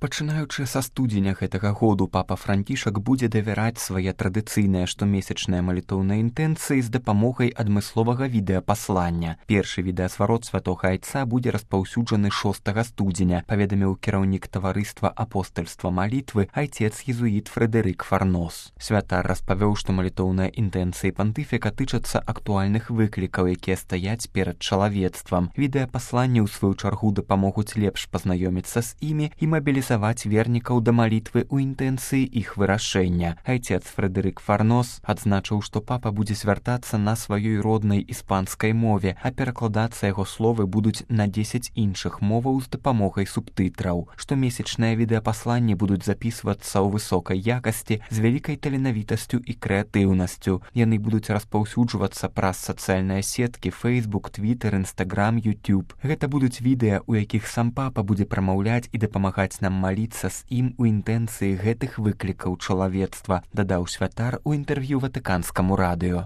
Пачынаючы са студзеня гэтага году папа Францішак будзе давяраць свае традыцыйныя штомесячныя малітоўныя інтэнцыі з дапамогай адмысловага відэапаслання. Першы відэасварот святога айца будзе распаўсюджаны 6 студзеня, паведаміў кіраўнік таварыства апостальства малітвы айцец-езуіт Фрэдэрык Фарнос. Святар распавёў, што малітоўныя інтэнцыі пантыфіка тычацца актуальных выклікаў, якія стаяць перад чалавецтвам. Відэапасланні, у сваю чаргу, дапамогуць лепш пазнаёміцца з імі і мабілізаваць вернікаў да малітвы ў інтэнцыі іх вырашэння. Айцец Фрэдэрык Фарнос адзначыў, што папа будзе звяртацца на сваёй роднай іспанскай мове, а перакладацца яго словы будуць на 10 іншых моваў з дапамогай субтытраў. Штомесячныя відэапасланні будуць запісвацца ў высокай якасці з вялікай таленавітасцю і крэатыўнасцю. Яны будуць распаўсюджвацца праз сацыяльныя сеткі Facebook, Twitter, Instagram, YouTube. Гэта будуць відэа, у якіх сам папа будзе прамаўляць і дапамагаць нам маліцца з ім у інтэнцыі гэтых выклікаў чалавецтва, дадаў святар у інтэрв'ю ватыканскаму радыё.